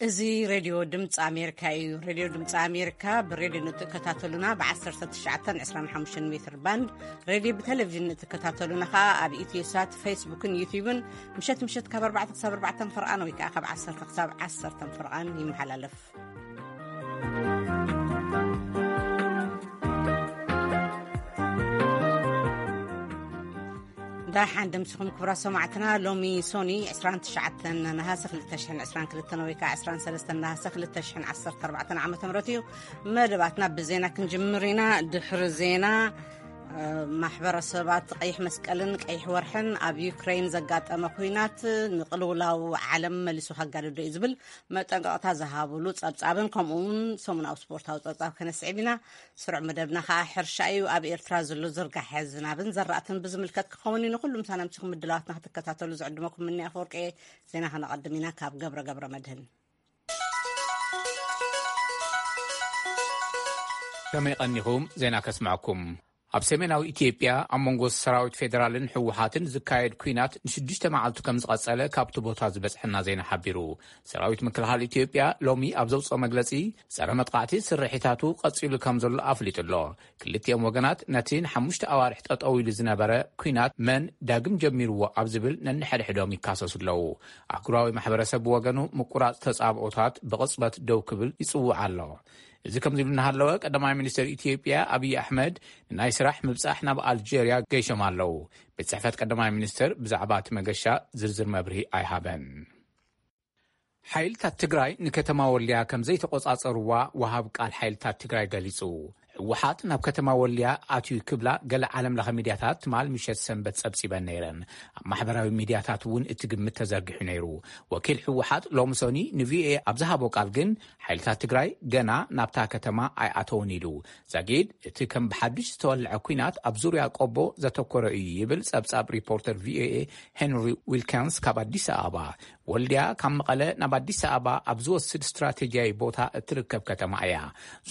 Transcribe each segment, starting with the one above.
እዚ ሬድዮ ድምፂ ኣሜሪካ እዩ። ሬድዮ ድምፂ ኣሜሪካ ብሬድዮ ንትከታተሉና ብ19 25 ሜትር ባንድ፣ ሬድዮ ብቴሌቪዥን ንትከታተሉና ከዓ ኣብ ኢትዮሳት፣ ፌስቡክን ዩቲዩብን ምሸት ምሸት ካብ ኣርባዕተ ክሳብ ኣርባዕተ ፍርቓን ወይ ከዓ ካብ ዓሰርተ ክሳብ ዓሰርተ ፍርቓን ይመሓላለፍ። ዳሓን ደምስኹም ክቡራት ሰማዕትና። ሎሚ ሶኒ 29 ነሃሰ 2022 ወይ ከዓ 23 ነሃሰ 2014 ዓመተ ምህረት እዩ። መደባትና ብዜና ክንጅምር ኢና። ድሕሪ ዜና፣ ማሕበረሰባት ቀይሕ መስቀልን ቀይሕ ወርሕን ኣብ ዩክሬን ዘጋጠመ ኩናት ንቅልውላው ዓለም መሊሱ ከጋድዶ እዩ ዝብል መጠንቀቕታ ዝሃብሉ ጸብጻብን ከምኡ እውን ሰሙናዊ ስፖርታዊ ጸብጻብ ከነስዕብ ኢና። ስሩዕ መደብና ከዓ ሕርሻ እዩ። ኣብ ኤርትራ ዘሎ ዝርጋሐ ዝናብን ዘራእትን ብዝምልከት ክኸውን እዩ። ንኩሉ ምሳና ምሲኹም ምድላዋትና ክትከታተሉ ዝዕድመኩም ምኒ ኣፈወርቂ። ዜና ከነቐድም ኢና ካብ ገብረ ገብረ መድህን። ከመይ ቀኒኹም? ዜና ከስምዐኩም። ኣብ ሰሜናዊ ኢትዮጵያ ኣብ መንጎ ሰራዊት ፌደራልን ህወሓትን ዝካየድ ኲናት ንሽዱሽተ መዓልቱ ከም ዝቐጸለ ካብቲ ቦታ ዝበጽሐና ዜና ሓቢሩ። ሰራዊት ምክልኻል ኢትዮጵያ ሎሚ ኣብ ዘውፅኦ መግለጺ፣ ጸረ መጥቃዕቲ ስርሒታቱ ቀጺሉ ከም ዘሎ ኣፍሊጡ ኣሎ። ክልቲኦም ወገናት ነቲ ንሓሙሽተ ኣዋርሕ ጠጠው ኢሉ ዝነበረ ኲናት መን ዳግም ጀሚርዎ ኣብ ዝብል ነንሕድሕዶም ይካሰሱ ኣለዉ። ኣህጉራዊ ማሕበረሰብ ብወገኑ ምቁራጽ ተጻብኦታት ብቕጽበት ደው ክብል ይጽውዕ ኣሎ። እዚ ከምዚ ኢሉ እናሃለወ፣ ቀዳማይ ሚኒስትር ኢትዮጵያ ኣብይ ኣሕመድ ንናይ ስራሕ ምብጻሕ ናብ ኣልጀርያ ገይሾም ኣለዉ። ቤት ጽሕፈት ቀዳማይ ሚኒስትር ብዛዕባ እቲ መገሻ ዝርዝር መብርሂ ኣይሃበን። ሓይልታት ትግራይ ንከተማ ወልድያ ከም ዘይተቆጻጸርዋ ወሃብ ቃል ሓይልታት ትግራይ ገሊጹ። ህወሓት ናብ ከተማ ወልድያ ኣትዩ ክብላ ገለ ዓለም ለኸ ሚድያታት ትማል ምሸት ሰንበት ጸብጺበን ነይረን። ኣብ ማሕበራዊ ሚድያታት እውን እቲ ግምት ተዘርጊሑ ነይሩ። ወኪል ህወሓት ሎሚ ሶኒ ንቪኦኤ ኣብ ዝሃቦ ቃል ግን ሓይልታት ትግራይ ገና ናብታ ከተማ ኣይኣተውን ኢሉ። ዛጊድ እቲ ከም ብሓድሽ ዝተወልዐ ኲናት ኣብ ዙርያ ቆቦ ዘተኮረ እዩ ይብል ጸብጻብ ሪፖርተር ቪኦኤ ሄንሪ ዊልኪንስ ካብ ኣዲስ ኣበባ። ወልድያ ካብ መቐለ ናብ ኣዲስ ኣበባ ኣብ ዝወስድ ስትራቴጂያዊ ቦታ እትርከብ ከተማ እያ።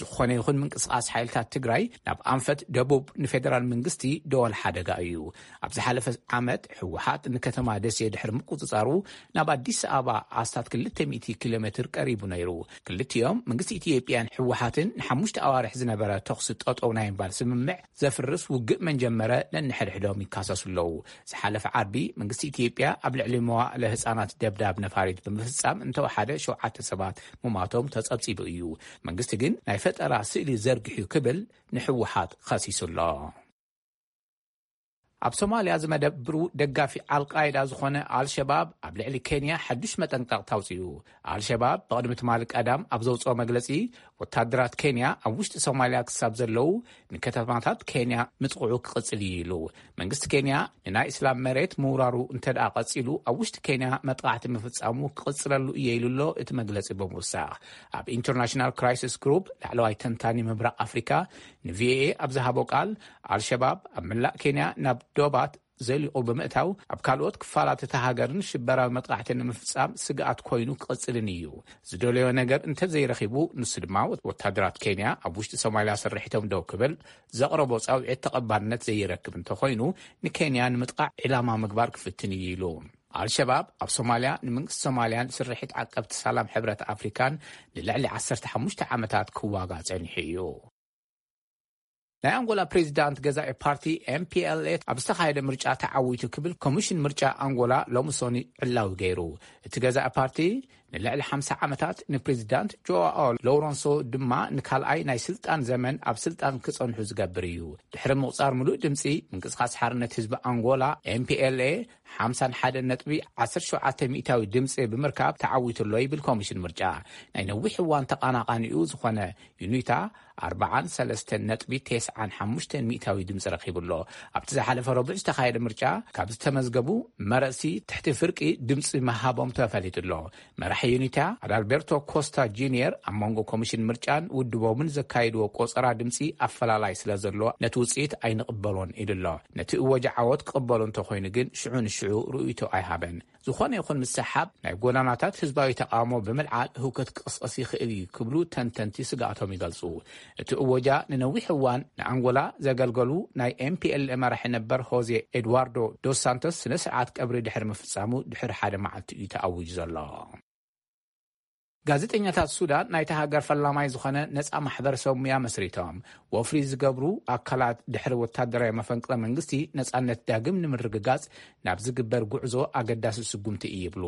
ዝኾነ ይኹን ምንቅስቓስ ሓይልታት ትግራይ ናብ ኣንፈት ደቡብ ንፌደራል መንግስቲ ደወል ሓደጋ እዩ። ኣብ ዝሓለፈ ዓመት ህወሓት ንከተማ ደሴ ድሕሪ ምቁጽጻሩ ናብ ኣዲስ ኣበባ ኣስታት 200 ኪሎ ሜትር ቀሪቡ ነይሩ። ክልቲኦም መንግስቲ ኢትዮጵያን ህወሓትን ንሓሙሽተ ኣዋርሕ ዝነበረ ተኹሲ ጠጠው ናይ ምባል ስምምዕ ዘፍርስ ውግእ መን ጀመረ ነንሕድሕዶም ይካሰሱ ኣለዉ። ዝሓለፈ ዓርቢ መንግስቲ ኢትዮጵያ ኣብ ልዕሊ መዋእለ ህጻናት ደብዳብ ነፋሪት ብምፍጻም እንተወሓደ ሸውዓተ ሰባት ምማቶም ተጸብጺቡ እዩ። መንግስቲ ግን ናይ ፈጠራ ስእሊ ዘርጊሑ ክብል ንህወሓት ከሲሱ ኣሎ። ኣብ ሶማልያ ዝመደብሩ ደጋፊ ኣልቃይዳ ዝኾነ ኣልሸባብ ኣብ ልዕሊ ኬንያ ሓዱሽ መጠንቀቕታ ኣውጺኡ። ኣልሸባብ ብቕድሚ ትማሊ ቀዳም ኣብ ዘውጽኦ መግለጺ፣ ወታደራት ኬንያ ኣብ ውሽጢ ሶማልያ ክሳብ ዘለዉ ንከተማታት ኬንያ ምጥቕዑ ክቕጽል እዩ ኢሉ። መንግስቲ ኬንያ ንናይ እስላም መሬት ምውራሩ እንተ ደኣ ቀጺሉ፣ ኣብ ውሽጢ ኬንያ መጥቃዕቲ ምፍጻሙ ክቕጽለሉ እየ ኢሉ ኣሎ እቲ መግለጺ ብምውሳኽ። ኣብ ኢንተርናሽናል ክራይሲስ ግሩፕ ላዕለዋይ ተንታኒ ምብራቕ ኣፍሪካ ንቪኦኤ ኣብ ዝሃቦ ቃል፣ ኣልሸባብ ኣብ መላእ ኬንያ ናብ ዶባት ዘሊቑ ብምእታው፣ ኣብ ካልኦት ክፋላት እታ ሃገርን ሽበራዊ መጥቃዕቲ ንምፍጻም ስግኣት ኮይኑ ክቕጽልን እዩ። ዝደለዮ ነገር እንተዘይረኺቡ፣ ንሱ ድማ ወታደራት ኬንያ ኣብ ውሽጢ ሶማልያ ስርሒቶም ደው ክብል ዘቕረቦ ጻውዒት ተቐባልነት ዘይረክብ እንተኾይኑ፣ ንኬንያ ንምጥቃዕ ዒላማ ምግባር ክፍትን እዩ ኢሉ። ኣልሸባብ ኣብ ሶማልያ ንመንግስቲ ሶማልያን ስርሒት ዓቀብቲ ሰላም ሕብረት ኣፍሪካን ንልዕሊ 15 ዓመታት ክዋጋ ጸኒሑ እዩ። ናይ ኣንጎላ ፕሬዚዳንት ገዛኢ ፓርቲ ኤምፒኤልኤ ኣብ ዝተኻየደ ምርጫ ተዓዊቱ ክብል ኮሚሽን ምርጫ ኣንጎላ ሎሚ ሶኒ ዕላዊ ገይሩ። እቲ ገዛኢ ፓርቲ ንልዕሊ ሓምሳ ዓመታት ንፕሬዚዳንት ጆኣኦ ሎውረንሶ ድማ ንካልኣይ ናይ ስልጣን ዘመን ኣብ ስልጣን ክጸንሑ ዝገብር እዩ። ድሕሪ ምቑጻር ምሉእ ድምጺ፣ ምንቅስቓስ ሓርነት ህዝቢ ኣንጎላ ኤምፒኤልኤ ሓምሳን ሓደን ነጥቢ ዓሰርተ ሸውዓተ ሚእታዊ ድምጺ ብምርካብ ተዓዊቱ ኣሎ ይብል ኮሚሽን ምርጫ። ናይ ነዊሕ እዋን ተቓናቓኒኡ ዝኾነ ዩኒታ ኣርባዓን ሰለስተን ነጥቢ ተስዓን ሓሙሽተን ሚእታዊ ድምፂ ረኺቡ ኣሎ። ኣብቲ ዝሓለፈ ረቡዕ ዝተኻየደ ምርጫ ካብ ዝተመዝገቡ መረፅቲ ትሕቲ ፍርቂ ድምፂ ምሃቦም ተፈሊጡ ኣሎ። መራሒ ዩኒታ ኣዳልቤርቶ ኮስታ ጁኒየር ኣብ መንጎ ኮሚሽን ምርጫን ውድቦምን ዘካየድዎ ቆፀራ ድምፂ ኣፈላላይ ስለ ዘሎ ነቲ ውፅኢት ኣይንቕበሎን ኢሉ ኣሎ። ነቲ እወጃ ዓወት ክቕበሎ እንተኾይኑ ግን ሽዑ ንሽዑ ርእይቶ ኣይሃበን። ዝኾነ ይኹን ምስሓብ ናይ ጎዳናታት ህዝባዊ ተቓውሞ ብምልዓል ህውከት ክቕስቐስ ይኽእል እዩ ክብሉ ተንተንቲ ስግኣቶም ይገልጹ። እቲ እወጃ ንነዊሕ እዋን ንኣንጎላ ዘገልገሉ ናይ ኤምፒኤልኤ መራሒ ነበር ሆዜ ኤድዋርዶ ዶስ ሳንቶስ ስነ ስርዓት ቀብሪ ድሕሪ ምፍጻሙ ድሕሪ ሓደ መዓልቲ እዩ ተኣዊጁ ዘሎ። ጋዜጠኛታት ሱዳን ናይታ ሃገር ፈላማይ ዝኾነ ነጻ ማሕበረሰብ ሙያ መስሪቶም፣ ወፍሪ ዝገብሩ ኣካላት ድሕሪ ወታደራዊ መፈንቅለ መንግስቲ ነጻነት ዳግም ንምርግጋጽ ናብ ዝግበር ጉዕዞ ኣገዳሲ ስጉምቲ እዩ ይብሉ።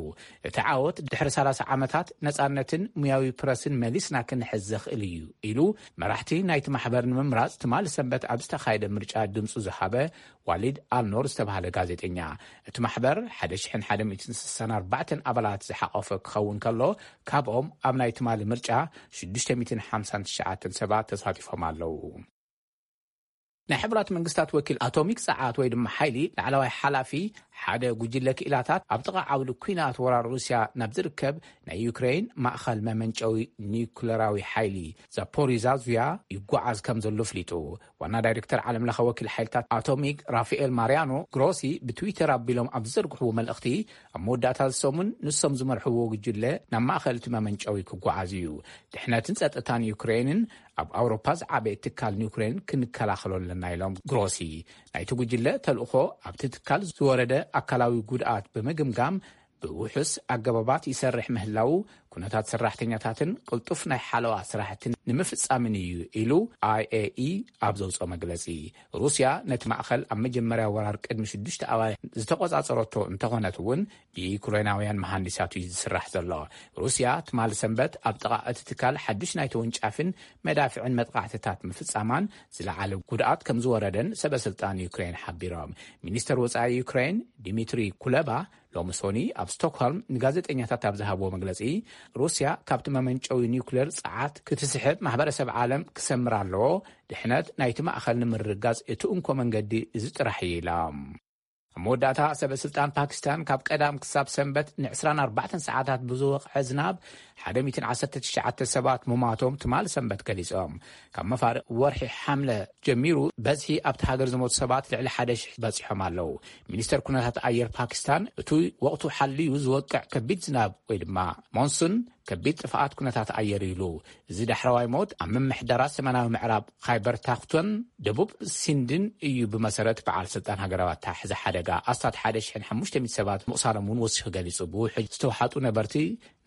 እቲ ዓወት ድሕሪ ሰላሳ ዓመታት ነጻነትን ሙያዊ ፕረስን መሊስና ክንሕዝ ዘኽእል እዩ ኢሉ፣ መራሕቲ ናይቲ ማሕበር ንምምራጽ ትማሊ ሰንበት ኣብ ዝተኻየደ ምርጫ ድምጹ ዝሃበ ዋሊድ ኣልኖር ዝተባህለ ጋዜጠኛ። እቲ ማሕበር ሓደ ሽሕን ሓደ ሚእትን ስሳን ኣርባዕተን ኣባላት ዝሓቖፈ ክኸውን ከሎ፣ ካብኦም ኣብ ናይ ትማሊ ምርጫ ሽዱሽተ ሚእትን ሓምሳን ትሽዓተን ሰባት ተሳቲፎም ኣለዉ። ናይ ሕቡራት መንግስታት ወኪል ኣቶሚክ ጸዓት ወይ ድማ ሓይሊ ላዕለዋይ ሓላፊ፣ ሓደ ጉጅለ ክኢላታት ኣብ ጥቓ ዓውዲ ኲናት ወራር ሩስያ ናብ ዝርከብ ናይ ዩክሬን ማእኸል መመንጨዊ ኒኩለራዊ ሓይሊ ዛፖሪዛዝያ ይጓዓዝ ከም ዘሎ ኣፍሊጡ። ዋና ዳይሬክተር ዓለም ለኸ ወኪል ሓይልታት ኣቶሚክ ራፋኤል ማርያኖ ግሮሲ ብትዊተር ኣቢሎም ኣብ ዝዘርግሕዎ መልእኽቲ፣ ኣብ መወዳእታ እዚ ሰሙን ንሶም ዝመርሕዎ ጉጅለ ናብ ማእኸል እቲ መመንጨዊ ክጓዓዝ እዩ። ድሕነትን ጸጥታን ዩክሬንን ኣብ ኣውሮፓ ዝዓበየ ትካል ኒውክሌርን ክንከላኸሎ ኣለና ኢሎም ግሮሲ። ናይቲ ጉጅለ ተልእኾ ኣብቲ ትካል ዝወረደ ኣካላዊ ጉድኣት ብምግምጋም ብውሑስ ኣገባባት ይሰርሕ ምህላው፣ ኩነታት ሰራሕተኛታትን ቅልጡፍ ናይ ሓለዋ ስራሕትን ንምፍጻምን እዩ ኢሉ ኣይኤኢ ኣብ ዘውፅኦ መግለፂ። ሩስያ ነቲ ማእኸል ኣብ መጀመርያ ወራር ቅድሚ ሽዱሽተ ኣዋርሕ ዝተቆጻጸረቶ እንተኾነት እውን ብዩክሬናውያን መሃንዲሳት እዩ ዝስራሕ ዘሎ። ሩስያ ትማሊ ሰንበት ኣብ ጥቓ እቲ ትካል ሓዱሽ ናይ ተወንጫፍን መዳፍዕን መጥቃዕትታት ምፍጻማን ዝለዓለ ጉድኣት ከም ዝወረደን ሰበ ስልጣን ዩክሬን ሓቢሮም። ሚኒስተር ወጻኢ ዩክሬን ዲሚትሪ ኩለባ ሎሚ ሶኒ ኣብ ስቶክሆልም ንጋዜጠኛታት ኣብ ዝሃብዎ መግለጺ፣ ሩስያ ካብቲ መመንጨዊ ኒውክሌር ጸዓት ክትስሕብ ማሕበረሰብ ዓለም ክሰምር ኣለዎ፣ ድሕነት ናይቲ ማእኸል ንምርጋጽ እቲ እንኮ መንገዲ እዚ ጥራሕ እዩ ኢላ። ኣብ መወዳእታ ሰበ ስልጣን ፓኪስታን ካብ ቀዳም ክሳብ ሰንበት ን ዕስራን ኣርባዕተን ሰዓታት ብዝወቕዐ ዝናብ ሓደ ሚእትን ዓሰርተ ትሽዓተ ሰባት ምሟቶም ትማሊ ሰንበት ገሊጾም። ካብ መፋርቕ ወርሒ ሓምለ ጀሚሩ በዝሒ ኣብቲ ሃገር ዝሞቱ ሰባት ልዕሊ ሓደ ሽሕ በጺሖም ኣለዉ። ሚኒስተር ኩነታት ኣየር ፓኪስታን እቲ ወቕቱ ሓልዩ ዝወቅዕ ከቢድ ዝናብ ወይ ድማ ሞንሱን ከቢድ ጥፍኣት ኩነታት ኣየር ኢሉ። እዚ ዳሕረዋይ ሞት ኣብ ምምሕዳራት ሰሜናዊ ምዕራብ ኻይበር ፓክቶን ደቡብ ሲንድን እዩ። ብመሰረት በዓል ስልጣን ሃገራዊ ኣተሓሕዛ ሓደጋ ኣስታት ሓደ ሽሕን ሓሙሽተ ሚእቲ ሰባት ምቑሳሎም እውን ወሲኹ ገሊጹ። ብውሕጅ ዝተውሓጡ ነበርቲ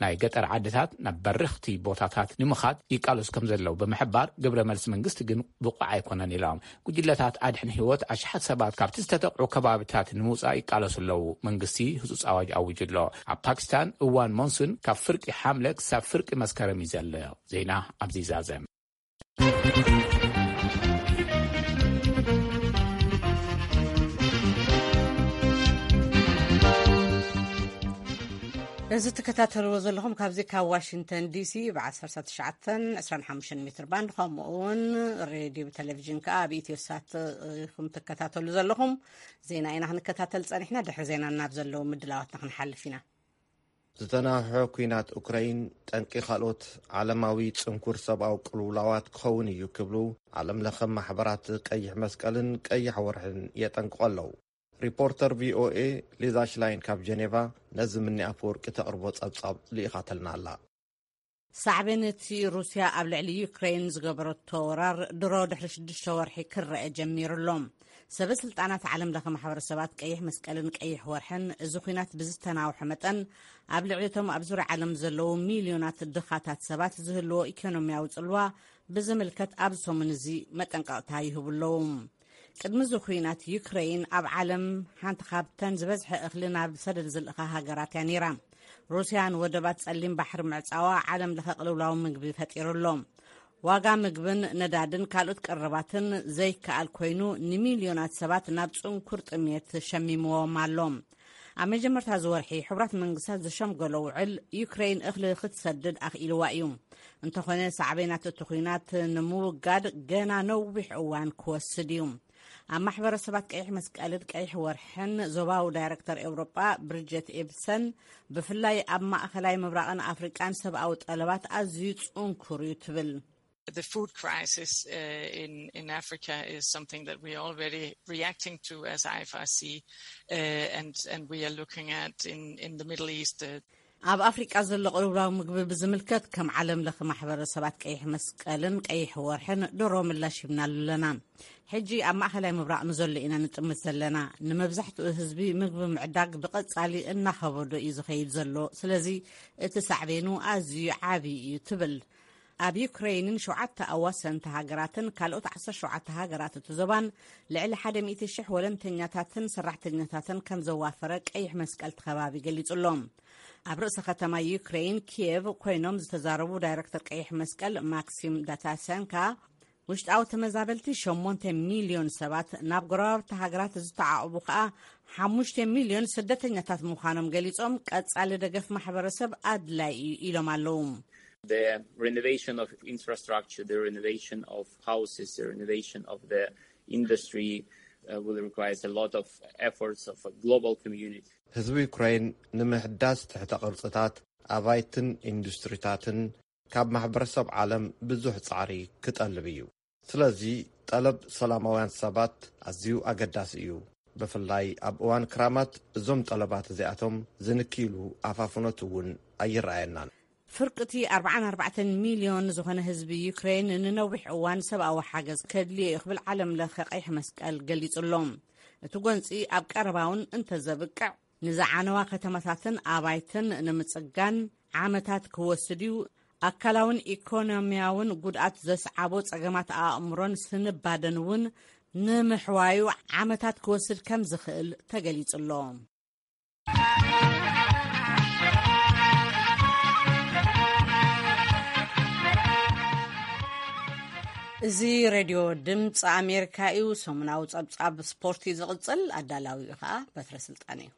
ናይ ገጠር ዓድታት ናብ በረኽቲ ቦታታት ንምኻድ ይቃለሱ ከም ዘለዉ ብምሕባር፣ ግብረ መልሲ መንግስቲ ግን ብቑዕ ኣይኮነን ኢሎም። ጉጅለታት ኣድሕን ህይወት ኣሽሓት ሰባት ካብቲ ዝተጠቕዑ ከባቢታት ንምውጻእ ይቃለሱ ኣለዉ። መንግስቲ ህጹጽ ኣዋጅ ኣዊጁ ኣሎ። ኣብ ፓኪስታን እዋን ሞንሱን ካብ ፍርቂ ሓምለ ክሳብ ፍርቂ መስከረም እዩ ዘሎ። ዜና ኣብዚ ይዛዘም። እዚ ትከታተልዎ ዘለኹም ካብዚ ካብ ዋሽንግተን ዲሲ ብ ዓሰርተ ትሽዓተን ዕስራን ሓሙሽተን ሜትር ባንድ፣ ከምኡ እውን ሬድዮ ብቴሌቪዥን ከኣ ኣብ ኢትዮ ሳት ኢኹም ትከታተሉ ዘለኹም። ዜና ኢና ክንከታተል ጸኒሕና። ድሕሪ ዜና ናብ ዘለዉ ምድላዋትና ክንሓልፍ ኢና። ዝተናውሐ ኲናት ኡክራይን ጠንቂ ካልኦት ዓለማዊ ጽንኩር ሰብኣዊ ቅልውላዋት ክኸውን እዩ ክብሉ ዓለም ለኸ ማሕበራት ቀይሕ መስቀልን ቀይሕ ወርሕን የጠንቅቑ ኣለዉ። ሪፖርተር ቪኦኤ ሊዛ ሽላይን ካብ ጀኔቫ ነዚ ምኒ ኣፈወርቂ ተቕርቦ ጸብጻብ ልኢኻተልና ኣላ። ሳዕቤን እቲ ሩስያ ኣብ ልዕሊ ዩክሬን ዝገበረቶ ወራር ድሮ ድሕሪ ሽዱሽተ ወርሒ ክረአ ጀሚሩ ኣሎ። ሰበ ስልጣናት ዓለም ለኸ ማሕበረሰባት ቀይሕ መስቀልን ቀይሕ ወርሕን እዚ ኲናት ብዝተናውሐ መጠን ኣብ ልዕሊ እቶም ኣብ ዙርያ ዓለም ዘለዉ ሚልዮናት ድኻታት ሰባት ዝህልዎ ኢኮኖሚያዊ ጽልዋ ብዝምልከት ኣብዚ ሰሙን እዚ መጠንቀቕታ ይህቡ ኣለዉ። ቅድሚ እዚ ኲናት ዩክሬን ኣብ ዓለም ሓንቲ ካብተን ዝበዝሐ እኽሊ ናብ ሰደድ ዝልእኻ ሃገራት እያ ነይራ። ሩስያ ንወደባት ጸሊም ባሕሪ ምዕጻዋ ዓለም ለኸ ቅልውላው ምግቢ ፈጢሩ ኣሎ። ዋጋ ምግብን ነዳድን ካልኦት ቀረባትን ዘይከኣል ኮይኑ፣ ንሚልዮናት ሰባት ናብ ጽንኩር ጥሜት ሸሚምዎም ኣሎ። ኣብ መጀመርታ እዚ ወርሒ ሕቡራት መንግስታት ዝሸምገሎ ውዕል ዩክሬን እኽሊ ክትሰድድ ኣኽኢልዋ እዩ። እንተኾነ ሳዕቤናት እቲ ኲናት ንምውጋድ ገና ነዊሕ እዋን ክወስድ እዩ። ኣብ ማሕበረሰባት ቀይሕ መስቀልን ቀይሕ ወርሕን ዞባዊ ዳይረክተር ኤውሮጳ ብሪጀት ኤብሰን፣ ብፍላይ ኣብ ማእኸላይ ምብራቕን ኣፍሪቃን ሰብኣዊ ጠለባት ኣዝዩ ጽንኩር እዩ ትብል። The food crisis uh, in, in Africa is something that we are already reacting to as I F R C, uh, and, and we are looking at in, in the Middle East. Uh, ኣብ ኣፍሪቃ ዘሎ ቅልውላው ምግቢ ብዝምልከት፣ ከም ዓለም ለኸ ማሕበረሰባት ቀይሕ መስቀልን ቀይሕ ወርሕን ድሮ ምላሽ ሂብናሉ ኣለና። ሕጂ ኣብ ማእኸላይ ምብራቕ ንዘሎ ኢና ንጥምት ዘለና። ንመብዛሕትኡ ህዝቢ ምግቢ ምዕዳግ ብቐጻሊ እናኸበዶ እዩ ዝኸይድ ዘሎ። ስለዚ እቲ ሳዕቤኑ ኣዝዩ ዓቢ እዩ ትብል። ኣብ ዩክሬይንን ሸውዓተ ኣዋሰንቲ ሃገራትን ካልኦት ዓሰርተ ሸውዓተ ሃገራት እቲ ዞባን ልዕሊ ሓደ ሚእቲ ሽሕ ወለንተኛታትን ሰራሕተኛታትን ከም ዘዋፈረ ቀይሕ መስቀል እቲ ከባቢ ገሊጹ ኣሎ። ኣብ ርእሰ ከተማ ዩክሬይን ኪየቭ ኮይኖም ዝተዛረቡ ዳይረክተር ቀይሕ መስቀል ማክሲም ዳታሰንካ፣ ውሽጣዊ ተመዛበልቲ ሸሞንተ ሚልዮን ሰባት ናብ ጎረባብቲ ሃገራት ዝተዓቑቡ ከኣ ሓሙሽተ ሚልዮን ስደተኛታት ምዃኖም ገሊጾም፣ ቀጻሊ ደገፍ ማሕበረሰብ ኣድላይ እዩ ኢሎም ኣለዉ። The renovation of infrastructure, the renovation of houses, the renovation of the industry uh, will require a lot of efforts of a global community. ህዝቢ ዩክሬን ንምሕዳስ ትሕተ ቅርጽታት፣ ኣባይትን ኢንዱስትሪታትን ካብ ማሕበረሰብ ዓለም ብዙሕ ጻዕሪ ክጠልብ እዩ። ስለዚ ጠለብ ሰላማውያን ሰባት ኣዝዩ ኣገዳሲ እዩ። ብፍላይ ኣብ እዋን ክራማት እዞም ጠለባት እዚኣቶም ዝንክይሉ ኣፋፍኖት እውን ኣይረኣየናን። ፍርቂ እቲ ኣርባዓን ኣርባዕተን ሚልዮን ዝኾነ ህዝቢ ዩክሬን ንነዊሕ እዋን ሰብኣዊ ሓገዝ ከድልዮ እዩ ክብል ዓለም ለኸ ቀይሕ መስቀል ገሊጹ ኣሎ። እቲ ጎንጺ ኣብ ቀረባ እውን እንተዘብቅዕ፣ ንዝዓነዋ ከተማታትን ኣባይትን ንምጽጋን ዓመታት ክወስድ እዩ። ኣካላውን ኢኮኖሚያውን ጉድኣት ዘስዓቦ ጸገማት ኣእምሮን ስንባደን እውን ንምሕዋዩ ዓመታት ክወስድ ከም ዝኽእል ተገሊጹ ኣሎ። እዚ ሬድዮ ድምፂ ኣሜሪካ እዩ። ሰሙናዊ ጸብጻብ ስፖርት እዩ ዝቕጽል። ኣዳላዊኡ ኸኣ በትረ ስልጣን እዩ።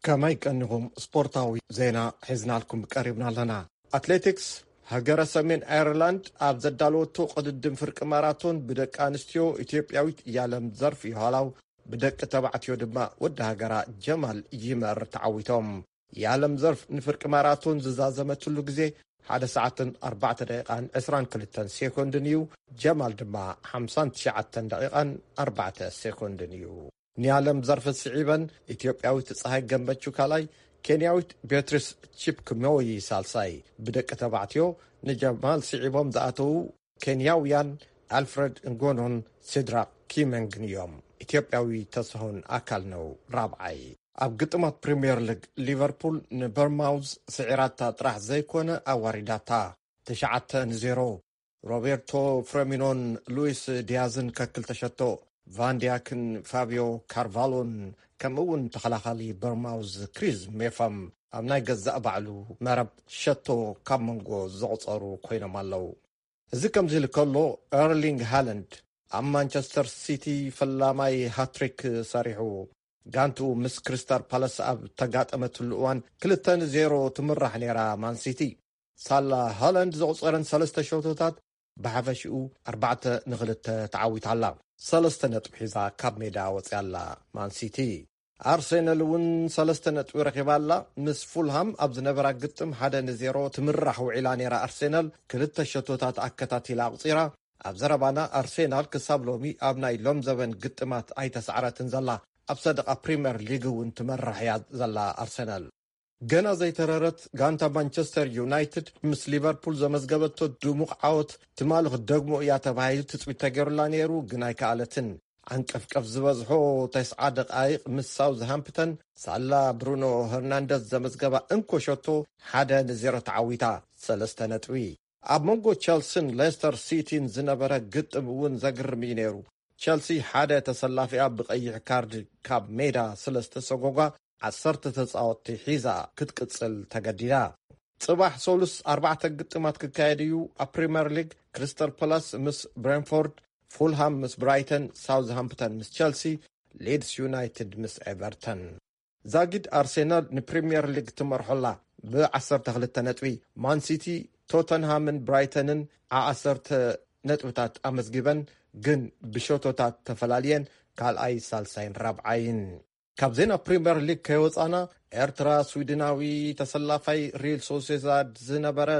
ከመይ ቀኒኹም? ስፖርታዊ ዜና ሒዝናልኩም ቀሪብና ኣለና። ኣትሌቲክስ፣ ሃገረ ሰሜን ኣየርላንድ ኣብ ዘዳለወቶ ቅድድም ፍርቂ ማራቶን ብደቂ ኣንስትዮ ኢትዮጵያዊት ያለም ዘርፍ ይሃላው፣ ብደቂ ተባዕትዮ ድማ ወዲ ሃገራ ጀማል ይመር ተዓዊቶም። ያለም ዘርፍ ንፍርቂ ማራቶን ዝዛዘመትሉ ግዜ ሓደ ሰዓትን ኣርባዕተ ደቂቓን ዕስራን ክልተን ሴኮንድን እዩ። ጀማል ድማ ሓምሳን ትሽዓተን ደቂቓን ኣርባዕተ ሴኮንድን እዩ። ንያለም ዘርፍ ስዒበን ኢትዮጵያዊት ፀሃይ ገመቹ ካልኣይ፣ ኬንያዊት ቤትሪስ ቺፕክሞይ ሳልሳይ። ብደቂ ተባዕትዮ ንጀማል ስዒቦም ዝኣተዉ ኬንያውያን ኣልፍረድ እንጎኖን ሲድራክ ኪመንግን እዮም። ኢትዮጵያዊ ተስሆን ኣካል ነው ራብዓይ። ኣብ ግጥማት ፕሪምየር ሊግ፣ ሊቨርፑል ንበርማውዝ ስዒራታ ጥራሕ ዘይኮነ ኣዋሪዳታ። ትሽዓተ ንዜሮ። ሮቤርቶ ፍረሚኖን ሉዊስ ዲያዝን ከክልተ ሸቶ፣ ቫንዲያክን ፋብዮ ካርቫሎን ከምኡ እውን ተኸላኻሊ በርማውዝ ክሪዝ ሜፋም ኣብ ናይ ገዛእ ባዕሉ መረብ ሸቶ ካብ መንጎ ዘቑጸሩ ኮይኖም ኣለዉ። እዚ ከምዚ ኢሉ ከሎ፣ ኤርሊንግ ሃለንድ ኣብ ማንቸስተር ሲቲ ፈላማይ ሃትሪክ ሰሪሑ። ጋንቱ ምስ ክሪስታል ፓላስ ኣብ ተጋጠመትሉ እዋን ክልተ ንዜሮ ትምራሕ ነይራ ማንሲቲ። ሳላ ሃላንድ ዘቑጸረን ሰለስተ ሸቶታት ብሓፈሽኡ ኣርባዕተ ንኽልተ ተዓዊታ ኣላ። ሰለስተ ነጥቢ ሒዛ ካብ ሜዳ ወፂኣ ኣላ ማንሲቲ። ኣርሴናል እውን ሰለስተ ነጥቢ ረኺባ ኣላ። ምስ ፉልሃም ኣብ ዝነበራ ግጥም ሓደ ንዜሮ ትምራሕ ውዒላ ነይራ ኣርሴናል፣ ክልተ ሸቶታት ኣከታቲላ ኣቑፂራ። ኣብ ዘረባና ኣርሴናል ክሳብ ሎሚ ኣብ ናይ ሎም ዘበን ግጥማት ኣይተሳዕረትን ዘላ። ኣብ ሰደቓ ፕሪምየር ሊግ እውን ትመርሕ እያ ዘላ ኣርሴናል። ገና ዘይተረረት ጋንታ ማንቸስተር ዩናይትድ ምስ ሊቨርፑል ዘመዝገበቶ ድሙቕ ዓወት ትማሊ ክትደግሞ እያ ተባሂሉ ትጽቢት ተገይሩላ ነይሩ፣ ግን ኣይከኣለትን። ዓንቀፍቀፍ ዝበዝሖ ተስዓ ደቓይቕ ምስ ሳውዝሃምፕተን ሳላ ብሩኖ ሄርናንደዝ ዘመዝገባ እንኮ ሸቶ ሓደ ንዜሮ ተዓዊታ። ሰለስተ ነጥቢ። ኣብ መንጎ ቸልስን ሌስተር ሲቲን ዝነበረ ግጥም እውን ዘግርም እዩ ነይሩ። ቸልሲ ሓደ ተሰላፊኣ ብቐይሕ ካርድ ካብ ሜዳ ስለ ዝተሰጎጓ፣ ዓሰርተ ተጻወትቲ ሒዛ ክትቅጽል ተገዲዳ። ጽባሕ ሰሉስ ኣርባዕተ ግጥማት ክካየድ እዩ። ኣብ ፕሪምየር ሊግ፣ ክሪስታል ፓላስ ምስ ብሬንፎርድ፣ ፉልሃም ምስ ብራይተን፣ ሳውዝሃምፕተን ምስ ቸልሲ፣ ሊድስ ዩናይትድ ምስ ኤቨርተን። ዛጊድ ኣርሴናል ንፕሪምየር ሊግ ትመርሖላ ብ ዓሰርተ ክልተ ነጥቢ። ማንሲቲ፣ ቶተንሃምን ብራይተንን ዓዓሰርተ ነጥብታት ኣመዝጊበን፣ ግን ብሸቶታት ተፈላልየን ካልኣይ፣ ሳልሳይን ራብዓይን። ካብ ዜና ፕሪምየር ሊግ ከይወጻና፣ ኤርትራ ስዊድናዊ ተሰላፋይ ሪል ሶሴዳድ ዝነበረ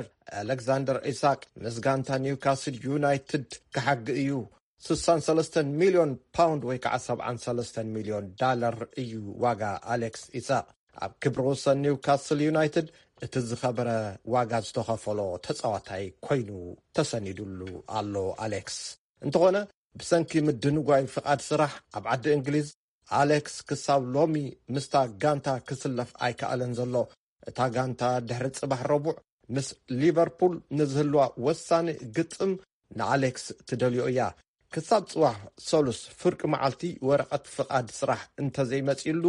ኣሌክዛንደር ኢሳቅ ምስ ጋንታ ኒውካስል ዩናይትድ ክሓግ እዩ። ስሳን ሰለስተን ሚልዮን ፓውንድ ወይ ከዓ ሰብዓን ሰለስተን ሚልዮን ዳለር እዩ ዋጋ ኣሌክስ ኢሳቕ። ኣብ ክብሪ ወሰን ኒውካስል ዩናይትድ እቲ ዝኸበረ ዋጋ ዝተኸፈሎ ተፃዋታይ ኮይኑ ተሰኒዱሉ ኣሎ ኣሌክስ። እንተኾነ ብሰንኪ ምድንጓይ ፍቓድ ስራሕ ኣብ ዓዲ እንግሊዝ ኣሌክስ ክሳብ ሎሚ ምስታ ጋንታ ክስለፍ ኣይከኣለን ዘሎ። እታ ጋንታ ድሕሪ ጽባሕ ረቡዕ ምስ ሊቨርፑል ንዝህልዋ ወሳኒ ግጥም ንኣሌክስ ትደልዮ እያ። ክሳብ ጽባሕ ሰሉስ ፍርቂ መዓልቲ ወረቐት ፍቓድ ስራሕ እንተዘይመጺሉ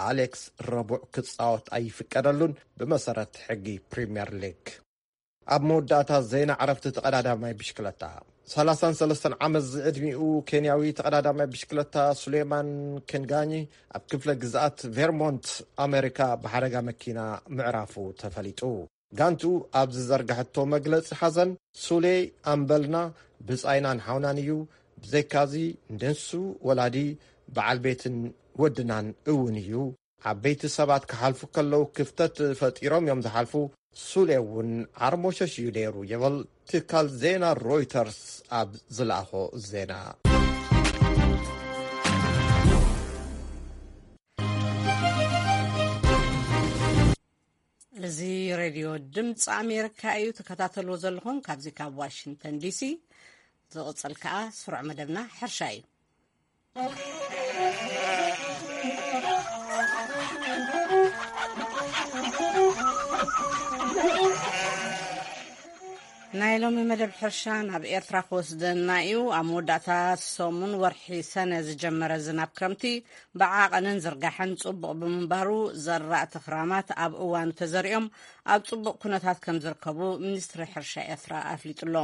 ኣሌክስ ረቡዕ ክጻወት ኣይፍቀደሉን ብመሰረት ሕጊ ፕሪምየር ሊግ። ኣብ መወዳእታ ዜና ዕረፍቲ ተቐዳዳማይ ብሽክለታ። ሰላሳን ሰለስተን ዓመት ዝዕድሚኡ ኬንያዊ ተቐዳዳማይ ብሽክለታ ሱሌማን ኬንጋኒ ኣብ ክፍለ ግዝኣት ቬርሞንት ኣሜሪካ ብሓደጋ መኪና ምዕራፉ ተፈሊጡ። ጋንቱ ኣብ ዝዘርጋሐቶ መግለጺ ሓዘን፣ ሱሌ ኣምበልና፣ ብጻይናን ሓውናን እዩ። ብዘይካዚ ንሱ ወላዲ፣ በዓል ቤትን ወድናን እውን እዩ። ዓበይቲ ሰባት ክሓልፉ ከለዉ ክፍተት ፈጢሮም እዮም ዝሓልፉ። ሱሌ እውን ዓርሞሸሽ እዩ ነይሩ ይብል ትካል ዜና ሮይተርስ ኣብ ዝለኣኾ ዜና። እዚ ሬድዮ ድምፂ ኣሜሪካ እዩ ትከታተልዎ ዘለኹም ካብዚ ካብ ዋሽንግተን ዲሲ። ዝቕፅል ከዓ ስሩዕ መደብና ሕርሻ እዩ። ናይ ሎሚ መደብ ሕርሻ ናብ ኤርትራ ክወስደና እዩ። ኣብ መወዳእታ ሰሙን ወርሒ ሰነ ዝጀመረ ዝናብ ክረምቲ ብዓቐንን ዝርጋሐን ጽቡቕ ብምንባሩ፣ ዘራእቲ ክራማት ኣብ እዋኑ ተዘሪኦም ኣብ ጽቡቕ ኩነታት ከም ዝርከቡ ሚኒስትሪ ሕርሻ ኤርትራ ኣፍሊጡ ኣሎ።